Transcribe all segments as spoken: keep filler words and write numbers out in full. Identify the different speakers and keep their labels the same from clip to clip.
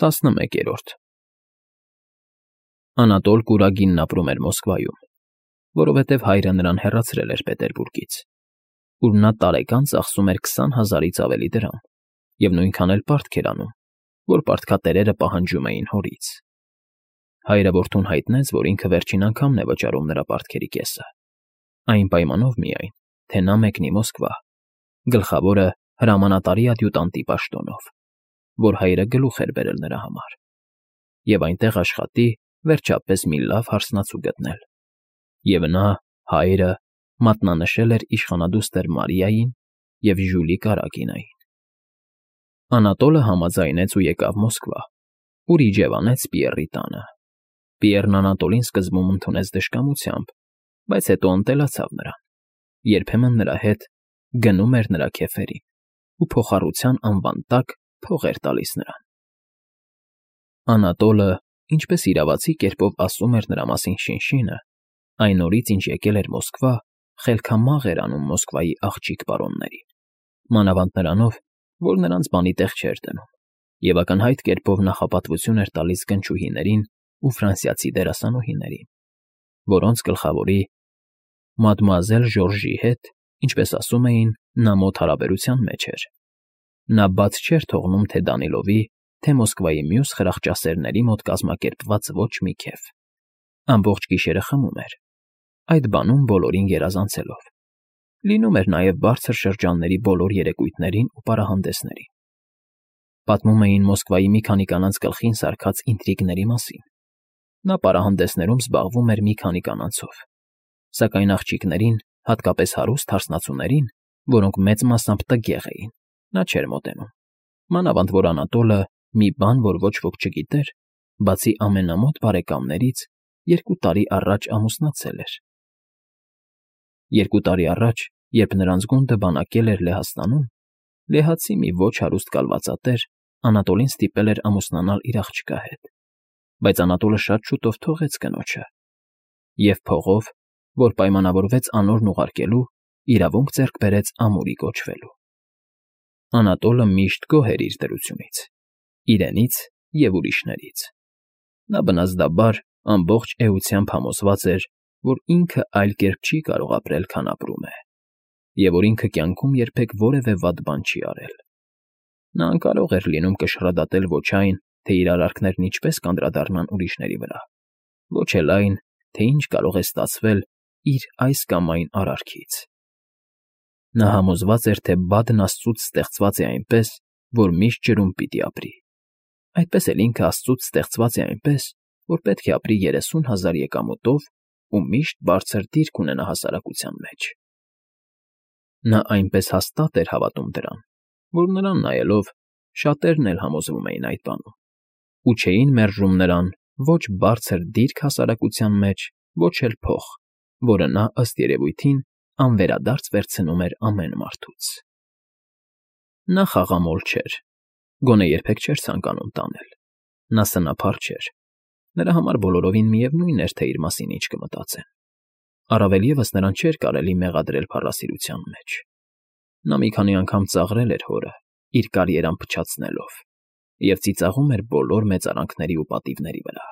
Speaker 1: տասնմեկերորդ Անատոլ Կուրագինն ապրում էր Մոսկվայում, որովհետև հայրը նրան հեռացրել էր Պետերբուրգից, ուր նա տարեկան ծախսում էր քսան հազարից ավելի դրամ և նույնքան էլ պարտք էր անում, որ պարտքատերերը պահանջում էին հորից։ Հայրը որդուն հայտնեց, որ ինքը վերջին անգամն է վճարում նրա պարտքերի կեսը, այն պայմանով միայն, թե նա մեկնի Մոսկվա, գլխավորը հրամանատարի ադյուտանտի պաշտոնով, որ հայրը գլուխ էր բերել նրա համար, և այնտեղ աշխատի վերջապես մի լավ հարսնացու գտնել, և նա, հայրը, մատնանշել էր իշխանադուստր Մարիային և Ժյուլի Կարագինային։ Անատոլը համաձայնեց ու եկավ Մոսկվա, ուր իջևանեց Պիեռի տանը։ Պիեռն Անատոլին սկզբում ընդունեց դժկամությամբ, բայց հետո ընտելացավ նրան, երբեմն նրա հետ գնում էր նրա քեֆերին ու փոխառության անվան տակ փող էր տալիս նրան։ Անատոլը, ինչպես իրավացի կերպով ասում էր նրա մասին շինշինը, այն օրից, ինչ եկել էր Մոսկվա, խելքամաղ էր անում Մոսկվայի աղջիկ պարոններին, մանավանդ նրանով, որ նրանց բանի տեղ չէր դնում, և ակնհայտ կերպով նախապատվություն էր տալիս գնչուհիներին ու ֆրանսիացի դերասանուհիներին, որոնց գլխավորի մադմուազել Ժորժի հետ, ինչպես ասում էին, նա մոտ հարաբերության մեջ էր։ Նա բաց չէր թողնում թե Դանիլովի, թե Մոսկվայի մյուս խրախճասերների մոտ կազմակերպված ոչ մի քեֆ։ Ամբողջ գիշերը խմում էր, այդ բանում բոլորին գերազանցելով։ Լինում էր նաև բարձր շրջանների բոլոր երեկույթներին ու պարահանդեսներին։ Պատմում էին Մոսկվայի մի քանի կանանց գլխին սարքած ինտրիգների մասին։ Նա պարահանդեսներում զբաղվում էր մի քանի կանանցով, սակայն աղջիկներին, հատկապես հարուստ հարսնացուներին, որոնք մեծ մասամբ տգեղ էին, նա չէր մոտենում, մանավանդ որ Անատոլը մի բան, որ ոչ ոք չգիտեր, բացի ամենամոտ բարեկամներից, երկու տարի առաջ ամուսնացել էր։ Երկու տարի առաջ, երբ նրանց գունդը բանակել էր Լեհաստանում, լեհացի մի ոչ հարուստ կալվածատեր Անատոլին ստիպել էր ամուսնանալ իր աղջկա հետ, բայց Անատոլը շատ շուտով թողեց կնոջը և փողով, որ պայմանավորվեց անորն ուղարկելու, իրավունք ձեռք բերեց ամուրի կոչվելու։ Անատոլը միշտ գոհ էր իր դրությունից, իրենից և ուրիշներից։ Նա բնազդաբար ամբողջ էությամբ համոզված էր, որ ինքը այլ կերպ չի կարող ապրել, քան ապրում է, և որ ինքը կյանքում երբեք որևէ վատ բան չի արել։ Նա անկարող էր լինում կշռադատել ոչ այն, թե իր արարքներն ինչպես կանդրադառնան ուրիշների վրա, ոչ էլ այն, թե ինչ կարող է ստացվել իր այս կամ այն արարքից։ Նա համոզված էր, թե բադն աստծուց ստեղծված է այնպես, որ միշտ ջրում պիտի ապրի, այդպես էլ ինքը աստծուց ստեղծված է այնպես, որ պետք է ապրի երեսուն հազար եկամուտով ու միշտ բարձր դիրք ունենա հասարակության մեջ։ Նա այնպես հաստատ էր հավատում դրան, որ նրան նայելով շատերն էլ համոզվում էին այդ բանում, ու չէին մերժում նրան ոչ բարձր դիրք հասարակության մեջ, ոչ էլ փող, որը նա, ըստ երևույթին, անվերադարձ վերցնում էր ամեն մարդուց։ Նա խաղամոլ չէր, գոնե երբեք չէր ցանկանում տանել։ Նա սնափառ չէր, նրա համար բոլորովին միևնույն էր, թե իր մասին ինչ կմտածեն։ Առավել ևս նրան չէր կարելի մեղադրել փառասիրության մեջ։ Նա մի քանի անգամ ծաղրել էր հորը, իր կարիերան փչացնելով, և ծիծաղում էր բոլոր մեծարանքների ու պատիվների վրա։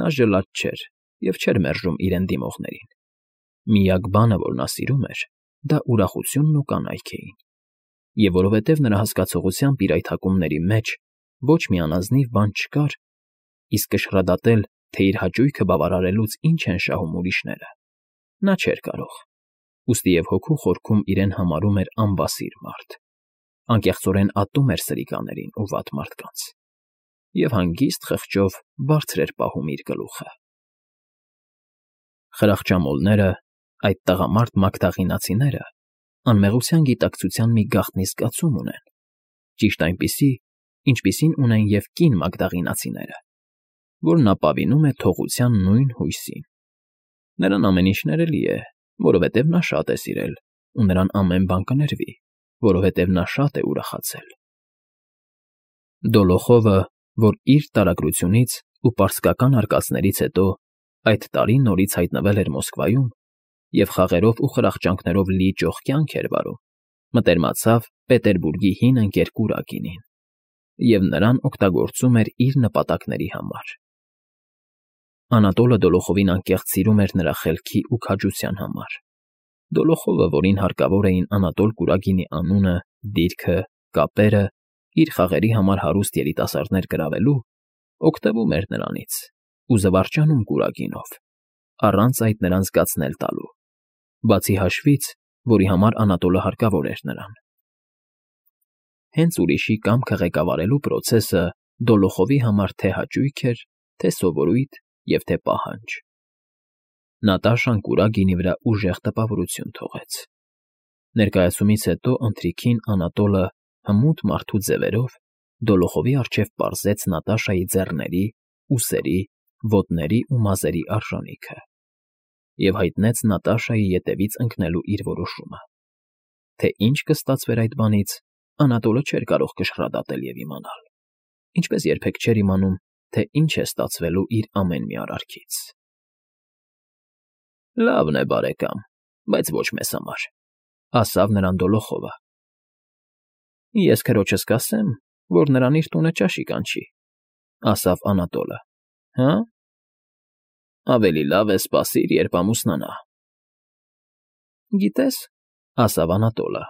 Speaker 1: Նա ժլատ չէր և չէր մերժում իրեն դիմողներին։ Միակ բանը, որ նա սիրում էր, դա ուրախությունն ու կանայք էին, և որովհետև նրա հասկացողությամբ իր այդ հակումների մեջ ոչ մի անազնիվ բան չկար, իսկ կշռադատել, թե իր հաճույքը բավարարելուց ինչ են շահում ուրիշները, նա չէր կարող, ուստի և հոգու խորքում իրեն համարում էր անբասիր մարդ, անկեղծորեն ատում էր սրիկաներին ու վատ մարդկանց, և հանգիստ խղճով բարձր էր պահում իր գլուխը։ Խրախճամոլները, այդ տղամարդ մագդաղինացիները, անմեղության գիտակցության մի գաղտնի զգացում ունեն, ճիշտ այնպիսի, ինչպիսին ունեն և կին մագդաղինացիները, որն ապավինում է թողության նույն հույսին։ Նրան ամեն ինչ ներելի է, որովհետև նա շատ է սիրել, ու նրան ամեն բան կներվի, որովհետև նա շատ է ուրախացել։ Դոլոխովը, որ իր տարագրությունից ու պարսկական արկածներից հետո այդ տարի նորից հայտնվել էր Մոսկվայում և խաղերով ու խրախճանքներով լի ճոխ կյանք էր վարում, մտերմացավ Պետերբուրգի հին ընկեր Կուրագինին։ և նրան օգտագործում էր իր նպատակների համար։ Անատոլը Դոլոխովին անկեղծ սիրում էր նրա խելքի ու քաջության համար։ Դոլոխովը, որին հարկավոր էին Անատոլ Կուրագինի անունը, դիրքը, կապերը, իր խաղերի համար հարուստ երիտասարդներ գրավելու, օգտվում էր նրանից ու զվարճանում Կուրագինով, առանց այդ նրան զգացնել տալու, բացի հաշվից, որի համար Անատոլը հարկավոր էր նրան։ Հենց ուրիշի կամքը ղեկավարելու պրոցեսը Դոլոխովի համար թե հաճույք էր, թե սովորույթ և թե պահանջ։ Նատաշան Կուրագինի վրա ուժեղ տպավորություն թողեց։ Ներկայացումից հետո ընթրիքին Անատոլը հմուտ մարդու ձևերով Դոլոխովի առջև պարզեց Նատաշայի ձեռների, ուսերի, ոտների ու մազերի արժանիքը և հայտնեց Նատաշայի ետևից ընկնելու իր որոշումը։ Թե ինչ կստացվեր այդ բանից, Անատոլը չէր կարող կշռադատել և իմանալ, ինչպես երբեք չէր իմանում, թե ինչ է ստացվելու իր ամեն մի արարքից։ ֊ Լավն է, բարեկամ, բայց ոչ մեզ համար,֊ ասավ նրան Դոլոխովը։ ֊ Ես քրոջս կասեմ, որ նրան իր տունը ճաշի կանչի,֊ ասավ Անատոլը։ ֊ Հը՞… Ավելի լավ է սպասիր, երբ ամուսնանա։ ֊ Գիտես,֊ ասավ Անատոլը,֊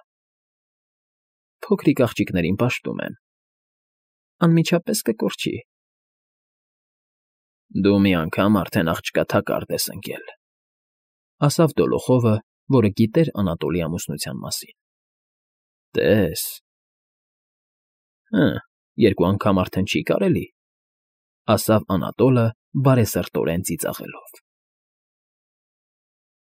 Speaker 1: փոքրիկ աղջիկներին պաշտում են, անմիջապես կկորչի։ ֊ Դու մի անգամ արդեն աղջկա թակարդ ես ընկել,֊ ասավ Դոլոխովը, որը գիտեր Անատոլի ամուսնության մասին։ ֊ Տես… Հը, երկու անգամ արդեն չի՞ կարելի,֊ ասավ Անատոլը բարեսրտորեն ծիծաղելով։